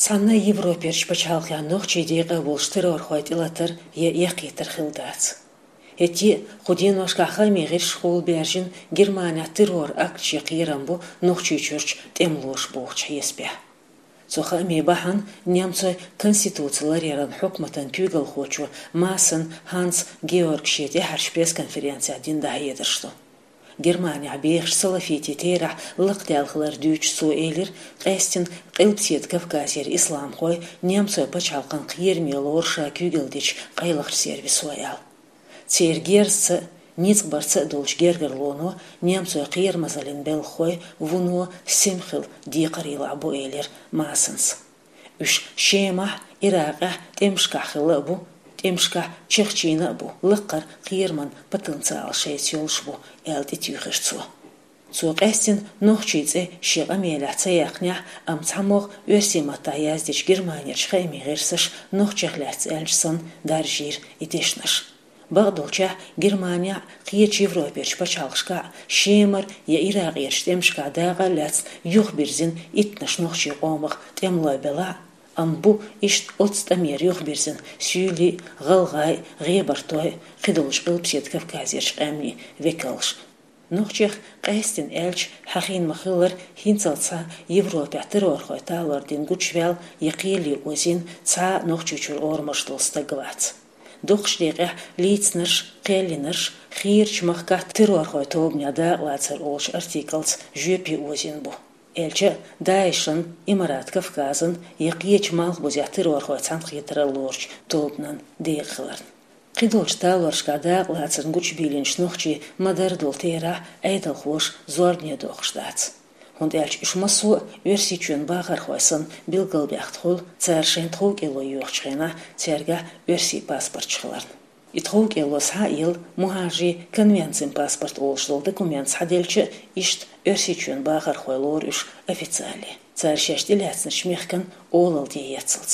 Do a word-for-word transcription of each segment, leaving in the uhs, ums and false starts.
Цхьанна а Европерчу пачхьалкхехь нохчий декъа а болуш террорхой тӀелатар я эккхийтар хилла дац. ХӀетте а кху деношкахь хаамийн гӀирсашкахула баьржина Германехь террор-акташ ян кхерам бу Нохчийчуьрчу тӀемалоша бохучу хьесапехь. Цу хаамийн бахьана немцойн конституци ларъяран хьукматан куьйгалхочо Маасен Ханс Георга шен тӀаьхьарчу пресс-конференцехь дина дӀахьедарш ду. Германехь бехачу салафитийн терахь лакхадаьлла хилар дуьйцуш цо элира, къаьстина Къилбаседа Кавказера исламхой немцойн пачхьалкхан кхераме лору ша куьйгалла дечу къайлахчу сервисо аьлла. Церан герзаца а, ницкъ барца а долчу гергарлоно немцойн кхерамазаллин белхахой вуно сема хила декхарийлахь бу, элира Маасенс. Уьш Шемахь, Иракъехь тӀемашкахь хилла а бу, тӀемашкахь чехчийна а бу, лакхара кхераман потенциал шайца йолуш бу, аьлла тӀетуьйхира цо. Цо къаьстина нохчийн цӀе шен къамелехь ца яьккхинехь, амма цхьамогӀа оьрсийн маттахь яздечу Германерчу хаамийн гӀирсаша нохчех лаьцна аьлча санна даржийра и дешнаш. Бакъдолчехь, Германехь а, кхечу Европерчу пачхьалкхашкахь а Шемара я Иракъерчу тӀемашкахь дакъа а лаьцна юхабирзина иттаннаш нохчийн къомах тӀемалой белахь а, амма бу иштта оццу тӀамера юхабирзина суьйлий а, гӀалгӀай а, гӀебартой а, кхидолчу Къилбаседа Кавказерчу къаьмнийн векалш. Нохчех, къаьстина аьлча, хьахийна ма-хиллара, хӀинццалц схьа Европехь террорхойн талор дина гучуваьлла я кхеле озийна цхьа а Нохчийчуьра орамаш долу стаг вац. Дукхачу декъехь лийцинарш, кхел йинарш, хийрачу махкахь террорхойн тобанехь дакъалацар олучу артиклаца жоьпе озийна бу. Аьлча а, ДАИШан, Имарат Кавказан я кхечу малхбузехь террорхойн цхьаьнакхетаралла лоручу тобанан декъа хиларна. Кхидолчу талоршкахь дакъалацарна гучубийлинчу нохчийн ма-дарра долу терахь Ӏедалхоша зорбане доккхуш дац. ХӀунда аьлча уьш массо а Оьрсийчоьнан бахархой санна билгалбаьхна хуьлу, цара шайн тховкӀело йоьхучу хенахь цаьргахь оьрсийн паспорташ хиларна. И тховкӀело схьа а елла, мухӀажарийн конвенцин паспорт олуш долу документ схьаделча а, иштта Оьрсийчоьнан бахархой лору уьш официале, цара шаьш тӀелаьцначу мехкан олалла тӀеэццалц.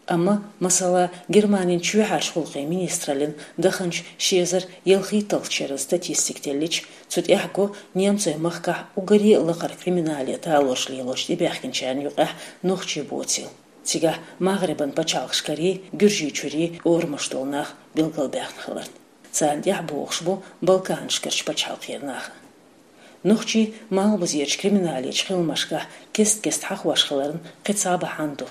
Амма, масала, Германин чоьхьарчу гӀуллакхийн министраллин даханчу ши эзар ялхитталгӀачу шеран статистика деллича, цу тӀехь го немцойн махкахь уггаре а лакхара криминале талорш лелочу тӀебаьхкинчарна юкъахь нохчий боцийла. Цигахь Магрибан пачхьалкхашкарий, Гуьржийчуьрий орамаш долу нах билгалбаьхна хиларна. Царна тӀаьхьа богӀуш бу Балканашкарчу пачхьалкхера нах а. Нохчий малхбузерчу криминалечу хиламашкахь кест-кеста хьахош хиларна кхин цхьа бахьана ду.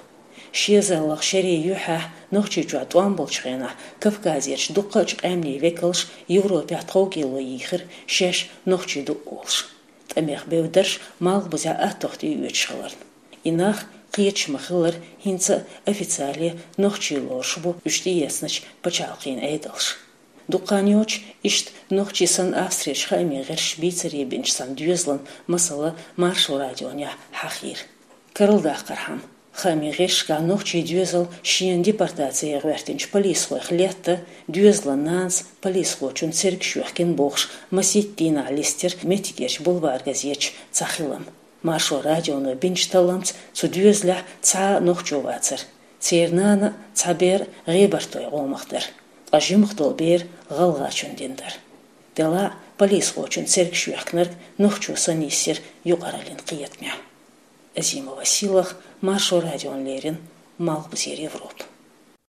Ши эзарлагӀа шерийн юьххьехь, Нохчийчохь тӀом болчу хенахь, Кавказерчу дуккхачу къаьмнийн векалш Европехь тховкӀело йийхира, шаьш нохчий ду олуш. ТӀамех бевддарш малхбузехь аттох тӀеоьцуш хиларна. И нах, кхеташ ма-хиллара, хӀинца а официале нохчий лоруш бу уьш тӀеэцначу пачхьалкхийн Ӏедалша. Дукха хан йоцуш, иштта нохчий санна Австрерчу хаамийн гӀирсаша бийцаре бинчу цхьана доьзалан масала Маршо радионехь хьахийра. Карладаккхархьама, хаамийн гӀирсашкахь нохчийн доьзал шена депортаци ян гӀоьртинчу полисхойх летта, доьзалан нанас полисхочун цергаш йоьхкина бохуш, масийтта дийнахь листира меттигерчу бульвар газеташ цхьа хилам. Маршо радионо бинчу талламца цу доьзалехь цхьа а нохчо вацара. Церан нана а, цхьа бер а гӀебартойн къомах дара, ткъа жимах долу бер гӀалгӀачун дина дара. Делахь а полисхочун цергаш йоьхкинарг нохчо санна йисира юкъараллин кхетамехь. Азимова Сийлаха, Маршо радиона леррина, Малхбузера Европа.